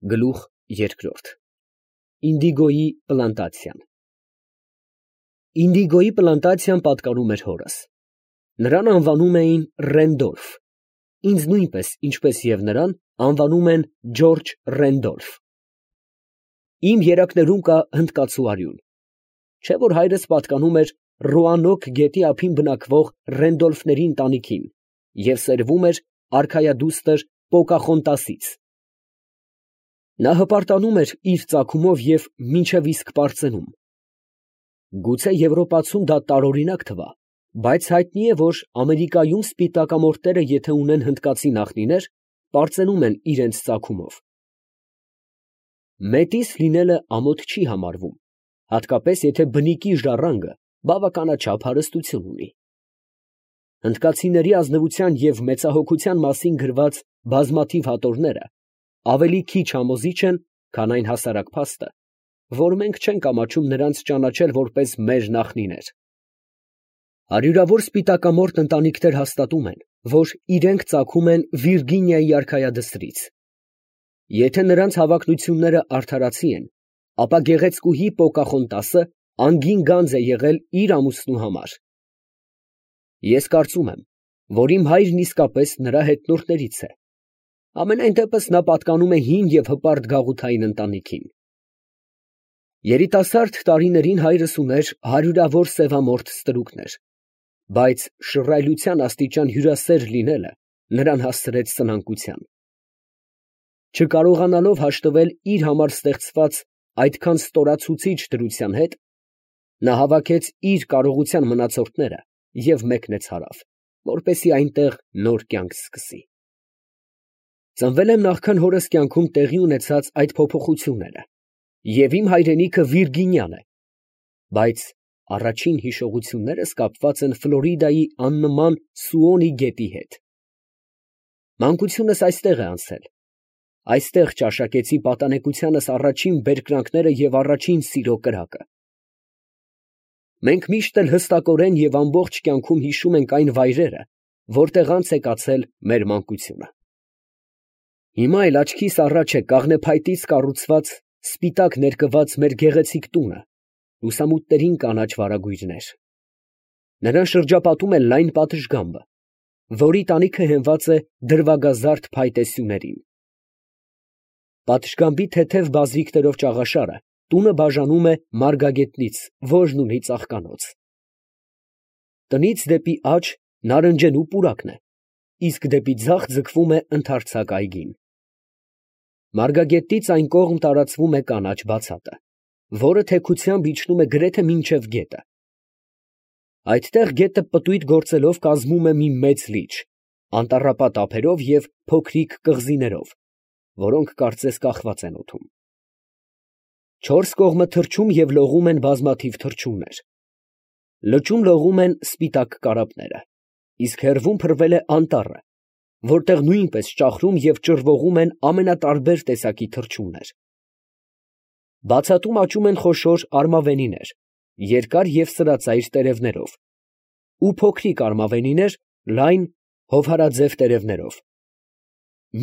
Գլուխ երկրորդ Ինդիգոյի պլանտացիան Ինդիգոյի պլանտացիան պատկանում էր հորս. նրան անվանում էին Ռենդոլֆ, ինձ նույնպես, ինչպես և նրան, անվանում են Ջորջ Ռենդոլֆ։ Իմ երակներում կա հնդկացու արյուն, չէ՞ որ հայրս պատկանում էր Ռոանոկ գետի ափին բնակվող Ռենդոլֆների ընտանիքին և սերվում էր արքայադուստր Պոկախոնտասից։ Նա հպարտանում էր իր ծագումով և մինչև իսկ պարծենում։ Գուցե Եվրոպացում դա տարօրինակ թվա, բայց հայտնի է, որ Ամերիկայում սպիտակամորթները եթե ունեն հնդկացի նախնիներ, պարծենում են իրենց ծագումով։ Մետիս լինելը ամոթ չի համարվում, հատկապես եթե բնիկի ժառանգը բավականաչափ հարստություն ունի։ Հնդկացիների ազնվության և մեծահոգության մասին գրված բազմաթիվ հատորները ավելի քիչ համոզիչ են, քան այն հասարակ փաստը, որ մենք չենք ամաչում նրանց ճանաչել որպես մեր նախնիներ։ Հարյուրավոր սպիտակամորթ ընտանիքներ հաստատում են, որ իրենք ծագում են Վիրգինիայի արքայադստրից։ Եթե նրանց հավակնությունները արդարացի են, ապա գեղեցկուհի Պոկախոնտասը անգին գանձ է եղել իր ամուսնու համար։ Ես կարծում եմ, որ իմ հայրն իսկապես նրա հետնորդներից է։ Համենայն դեպս նա պատկանում է հին և հպարտ գաղութային ընտանիքին։ Երիտասարդ տարիներին հայրս ուներ հարյուրավոր սևամորթ ստրուկներ, բայց շռայլության աստիճան հյուրասեր լինելը նրան հասցրեց սնանկության։ Չկարողանալով հաշտվել իր համար ստեղծված այդքան ստորացուցիչ դրության հետ, նա հավաքեց իր կարողության մնացորդները և մեկնեց հարավ, որպեսզի այնտեղ նոր կյանք սկսի։ Ծնվել եմ նախքան հորս կյանքում տեղի ունեցած այդ փոփոխությունները, և իմ հայրենիքը Վիրգինիան է, բայց առաջին հիշողություններս կապված են Ֆլորիդայի աննման Սուոնի գետի հետ։ Մանկությունս այստեղ է անցել, այստեղ ճաշակեցի պատանեկությանս առաջին բերկրանքները և առաջին սիրո կրակը։ Մենք միշտ էլ հստակորեն և ամբողջ կյանքում հիշում ենք այն վայրերը, որտեղ անց է կացել մեր մանկությունը։ Հիմա էլ աչքիս առաջ է կաղնեփայտից կառուցված, սպիտակ ներկված մեր գեղեցիկ տունը, լուսամուտներին կանաչ վարագույրներ։ Նրան շրջապատում է լայն պատշգամբը, որի տանիքը հենված է դրվագազարդ փայտե սյուներին։ Պատշգամբի թեթև բազրիքներով ճաղաշարը տունը բաժանում է մարգագետնից, որն ունի ծաղկանոց։ Տնից դեպի աջ նարնջենու պուրակն է, իսկ դեպի ձախ ձգվում է ընդարձակ այգին։ Մարգագետից այն կողմ տարածվում է կանաչ բացատը, որը թեքությամբ իջնում է գրեթե մինչև գետը։ Այդտեղ գետը պտույտ գործելով կազմում է մի մեծ լիճ, անտառապատ ափերով և փոքրիկ կղզիներով, որոնք կարծես կախված են օդում։ Չորս կողմը թռչում և լողում են բազմաթիվ թռչուններ։ Լճում լողում են սպիտակ կարապները, իսկ հեռվում փռվել է անտառը, որտեղ նույնպես ճախրում և ճռվողում են ամենատարբեր տեսակի թռչուններ։ Բացատում աճում են խոշոր արմավենիներ, երկար և սրածայր տերևներով, ու փոքրիկ արմավենիներ լայն, հովհարաձև տերևներով։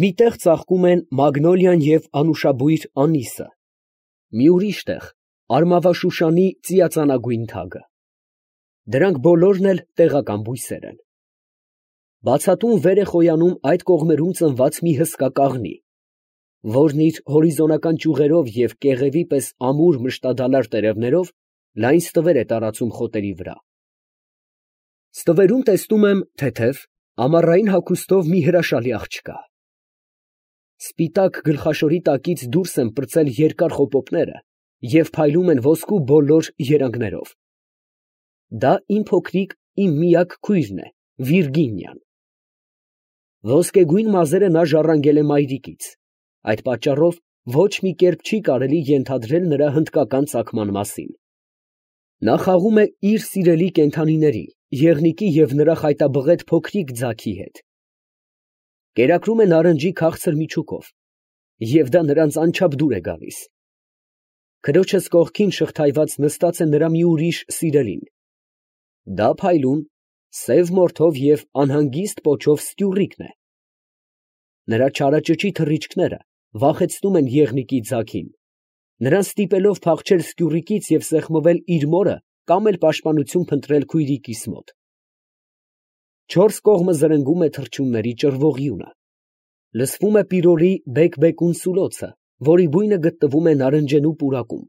Մի տեղ ծաղկում են մագնոլիան և անուշաբույր անիսը, մի ուրիշ տեղ արմավաշուշանի ծիածանագույն թագը։ Դրանք բոլորն էլ տեղական բույսեր են։ Բացատում վեր է խոյանում այդ կողմերում ծնված մի հսկա կաղնի, որն իր հորիզոնական ճյուղերով և կեղևի պես ամուր մշտադալար տերևներով լայն ստվեր է տարածում խոտերի վրա։ Ստվերում տեսնում եմ թեթև, ամառային հագուստով մի հրաշալի աղջկա։ Սպիտակ գլխաշորի տակից դուրս են պրծել երկար խոպոպները և փայլում են ոսկու բոլոր երանգներով։ Դա իմ փոքրիկ, իմ միակ քույրն է, Վիրգինիան։ Ոսկեգույն մազերը նա ժառանգել է մայրիկից, այդ պատճառով ոչ մի կերպ չի կարելի ենթադրել նրա հնդկական ծագման մասին։ Նա խաղում է իր սիրելի կենդանիների, եղնիկի և նրա խայտաբղետ փոքրիկ ձագի հետ։ Կերակրում է նարնջի քաղցր միջուկով, և դա նրանց անչափ դուր է գալիս։ Քրոջս կողքին շղթայված նստած է նրա մի ուրիշ սիրելին։ Դա փայլուն, սև մորթով և անհանգիստ պոչով Ստյուռիկն է։ Նրա չարաճճի թռիչքները վախեցնում են եղնիկի ձագին, նրան ստիպելով փախչել սկյուռիկից և սեղմվել իր մորը կամ էլ պաշտպանություն փնտրել քույրիկիս մոտ։ Չորս կողմը զրնգում է թռչունների ճռվողյունը։ Լսվում է պիրորի բեկ-բեկուն սուլոցը, որի բույնը գտնվում է նարնջենու պուրակում,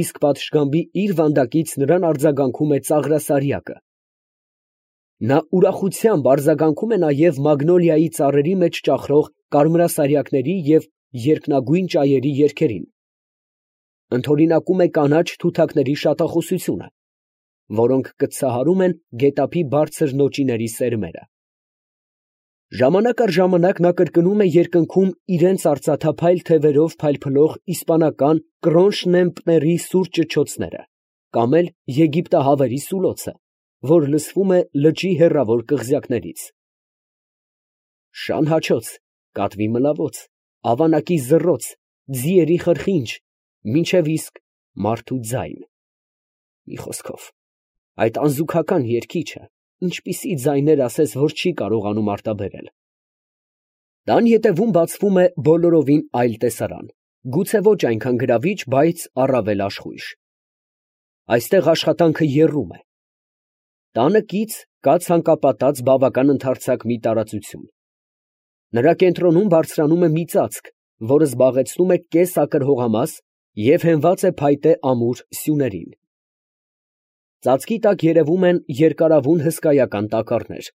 իսկ պատշգամբի իր վանդակից նրան արձագանքում է ծաղրասարյակը։ Նա ուրախությամբ արձագանքում է նաև մագնոլիայի ծառերի մեջ ճախրող կարմրասարյակների և երկնագույն ճայերի երգերին, ընդօրինակում է կանաչ թութակների շատախոսությունը, որոնք կծահարում են գետափի բարձր նոճիների սերմերը։ Ժամանակ առ ժամանակ նա կրկնում է երկնքում իրենց արծաթափայլ թևերով փայլփլող իսպանական կրոնշնեմպների սուր ճչոցները, կամ էլ եգիպտահավերի սուլոցը, որ լսվում է լճի հեռավոր կղզյակներից։ Շան հաչոց, կատվի մլավոց, ավանակի զռոց, ձիերի խրխինջ, մինչև իսկ մարդու ձայն։ Մի խոսքով, այդ անզուգական երգիչը ինչպիսի ձայներ ասես, որ չի կարողանում արտաբերել։ Տան ետևում բացվում է բոլորովին այլ տեսարան, գուցե ոչ այնքան գրավիչ, բայց առավել աշխույժ։ Այստեղ աշխատանքը եռում է։ Տանը կից կա ցանկապատած բավական ընդարձակ մի տարածություն։ Նրա կենտրոնում բարձրանում է մի ծածկ, որը զբաղեցնում է կես ակր հողամաս և հենված է փայտե ամուր սյուներին։ Ծածկի տակ երևում են երկարավուն հսկայական տակառներ,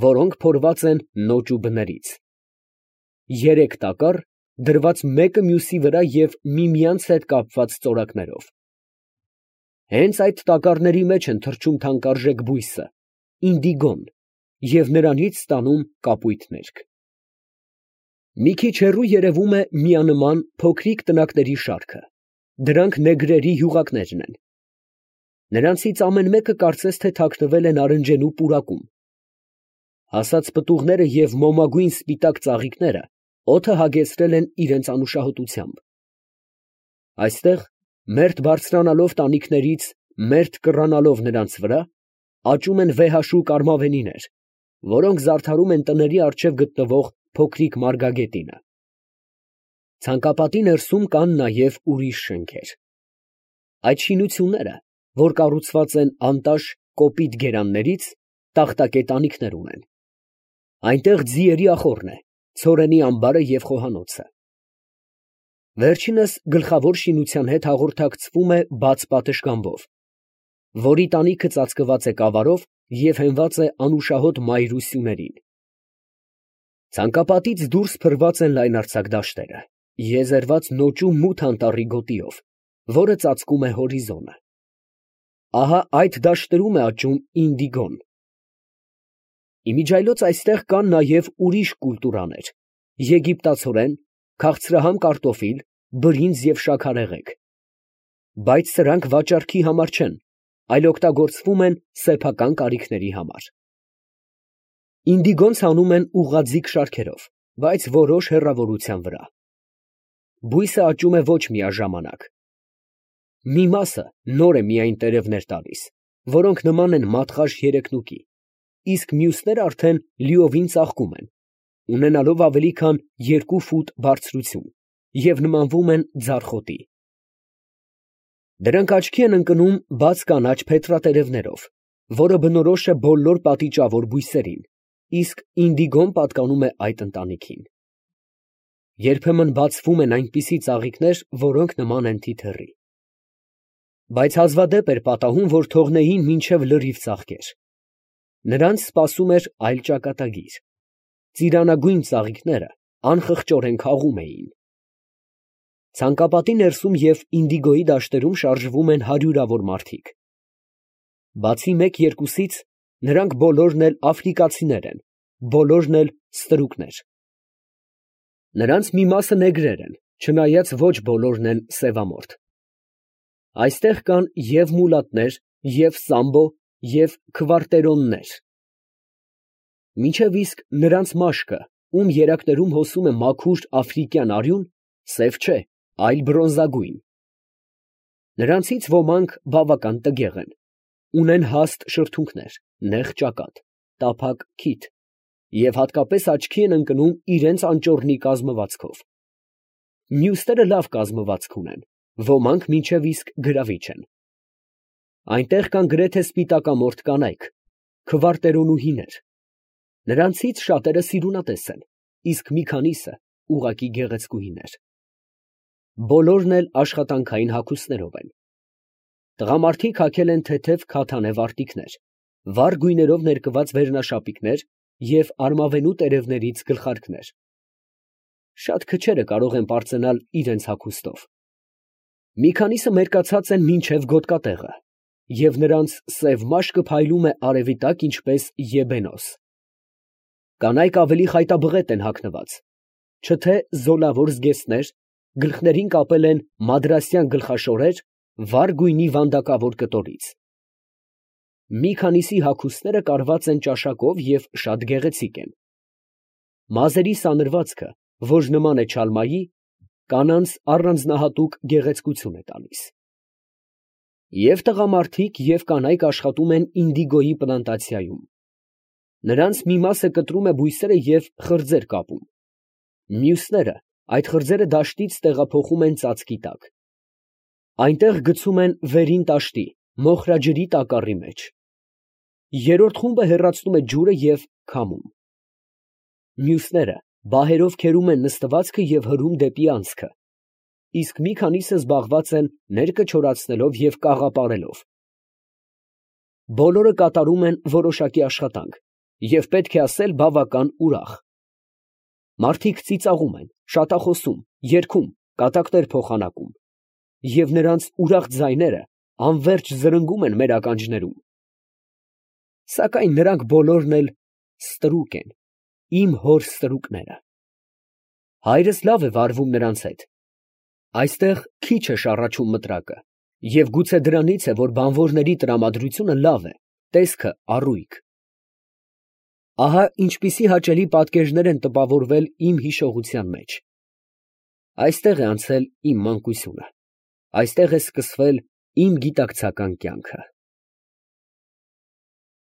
որոնք փորված են նոճ ու բներից։ Երեք տակառ, դրված մեկը մյուսի վրա և միմյանց հետ կապված ծորակներով։ Հենց այդ տակառների մեջ են թռչում թանկարժեք բույսը, ինդիգոն, և նրանից ստանում կապույտ ներք։ Մի քիչ հեռու երևում է միանման փոքրիկ տնակների շարքը, դրանք նեգրերի յուղակներն են։ Նրանցից ամեն մեկը կարծես թե թաքնվել է նարնջենու պուրակում։ Հասած պտուղները և մոմագույն սպիտակ ծաղիկները օդը հագեցրել են իրենց անուշահոտությամբ։ Այստեղ, մերթ բարձրանալով տանիքներից, մերթ կռանալով նրանց վրա, աճում են վեհաշու կարմավենիներ, որոնք զարդարում են տների առջև գտնվող փոքրիկ մարգագետինը։ Ցանկապատի ներսում կան նաև ուրիշ շենքեր։ Այդ շինությունները, որ կառուցված են անտաշ կոպիտ գերաններից, տախտակե տանիքներ ունեն։ Այնտեղ ձիերի ախոռն է, ցորենի ամբարը և խոհանոցը։ Վերջինս գլխավոր շինության հետ հաղորդակցվում է բաց պատշգամբով, որի տանիքը ծածկված է կավարով և հենված է անուշահոտ մայր ու սյուներին։ Ցանկապատից դուրս փռված են լայնարձակ դաշտերը, եզերված նոճու մութ անտառի գոտիով, որը ծածկում է հորիզոնը։ Ահա այդ դաշտերում է աճում ինդիգոն։ Իմիջիայլոց այստեղ կան նաև ուրիշ կուլտուրաներ՝ եգիպտացորեն, քաղցրահամ կարտոֆիլ, բրինձ և շաքարեղեգ։ Բայց սրանք վաճառքի համար չեն, այլ օգտագործվում են սեփական կարիքների համար։ Ինդիգոն ցանում են ուղղաձիգ շարքերով, բայց որոշ հեռավորության վրա։ Բույսը աճում է ոչ միաժամանակ։ Մի մասը նոր է միայն տերևներ տալիս, որոնք նման են մատղաշ երեկնուկի, իսկ մյուսները արդեն լիովին ծաղկում են, ունենալով ավելի քան 2 ֆուտ բարձրություն և նմանվում են ձարխոտի։ Դրանք աչքի են ընկնում բաց կանաչ փետրատերևներով, որը բնորոշ է բոլոր պատիճավոր բույսերին, իսկ ինդիգոն պատկանում է այդ ընտանիքին։ Երբեմն բացվում են այնպիսի ծաղիկներ, որոնք նման են թիթեռի։ Բայց հազվադեպ էր պատահում, որ թողնեին մինչև լրիվ ծաղկեր։ Նրանց սպասում էր այլ ճակատագիր։ Ծիրանագույն ծաղիկները անխղճորեն քաղում էին։ Ցանկապատի ներսում և ինդիգոյի դաշտերում շարժվում են հարյուրավոր մարդիկ։ Բացի մեկ-երկուսից, նրանք բոլորն էլ աֆրիկացիներ են, բոլորն էլ ստրուկներ։ Նրանց մի մասը նեգրեր են, չնայած ոչ բոլորն են սևամորթ։ Այստեղ կան և մուլատներ, և սամբո, և քվարտերոններ։ Մինչև իսկ նրանց մաշկը, ում երակներում հոսում է մաքուր աֆրիկյան արյուն, սև չէ, այլ բրոնզագույն։ Նրանցից ոմանք բավական տգեղ են, ունեն հաստ շրթունքներ, նեղ ճակատ, տափակ քիթ և հատկապես աչքի են ընկնում իրենց անճոռնի կազմվածքով։ Մյուսները լավ կազմվածք ունեն, ոմանք մինչև իսկ գրավիչ են։ Այնտեղ կան գրեթե սպիտակամորթ կանայք, քվարտերոնուհիներ։ Նրանցից շատերը սիրունատես են, իսկ մի քանիսը ուղղակի գեղեցկուհիներ։ Բոլորն էլ աշխատանքային հագուստներով են։ Տղամարդիկ հագել են թեթև քաթանե վարտիքներ, վառ գույներով ներկված վերնաշապիկներ և արմավենու տերևներից գլխարկներ։ Շատ քչերը կարող են պարծենալ իրենց հագուստով։ Մի քանիսը մերկացած են մինչև գոտկատեղը, և նրանց սև մաշկը փայլում է արևի տակ, ինչպես եբենոս։ Կանայք ավելի խայտաբղետ են հագնված, չթե զոլավոր զգեստներ, գլխներին կապել են մադրասյան գլխաշորեր վառ գույնի վանդակավոր կտորից։ Մի քանիսի հագուստները կարված են ճաշակով և շատ գեղեցիկ են։ Մազերի սանրվածքը, որ նման է չալմայի, կանանց առանձնահատուկ գեղեցկություն է տալիս։ Եվ տղամարդիկ, և կանայք աշխատում են ինդիգոյի պլանտացիայում։ Նրանց մի մասը կտրում է բույսերը և խրձեր կապում։ Մյուսները այդ խրձերը դաշտից տեղափոխում են ծածկի տակ։ Այնտեղ գցում են վերին տաշտի, մոխրաջրի տակառի մեջ։ Երրորդ խումբը հեռացնում է ջուրը և քամում։ Մյուսները բահերով քերում են նստվածքը և հրում դեպի անցքը, իսկ մի քանիսը զբաղված են ներկը չորացնելով և կաղապարելով։ Բոլորը կատարում են որոշակի աշխատանք և, պետք է ասել, բավական ուրախ։ Մարդիկ ծիծաղում են, շատախոսում, երգում, կատակներ փոխանակում, և նրանց ուրախ ձայները անվերջ զրնգում են մեր ականջներում։ Սակայն նրանք բոլորն էլ ստրուկ են, իմ հոր ստրուկները։ Հայրս լավ է վարվում նրանց հետ։ Այստեղ քիչ է շառաչում մտրակը, և գուցե դրանից է, որ բանվորների տրամադրությունը լավ է, տեսքը առույգ։ Ահա ինչպիսի հաճելի պատկերներ են տպավորվել իմ հիշողության մեջ։ Այստեղ է անցել իմ մանկությունը, այստեղ է սկսվել իմ գիտակցական կյանքը։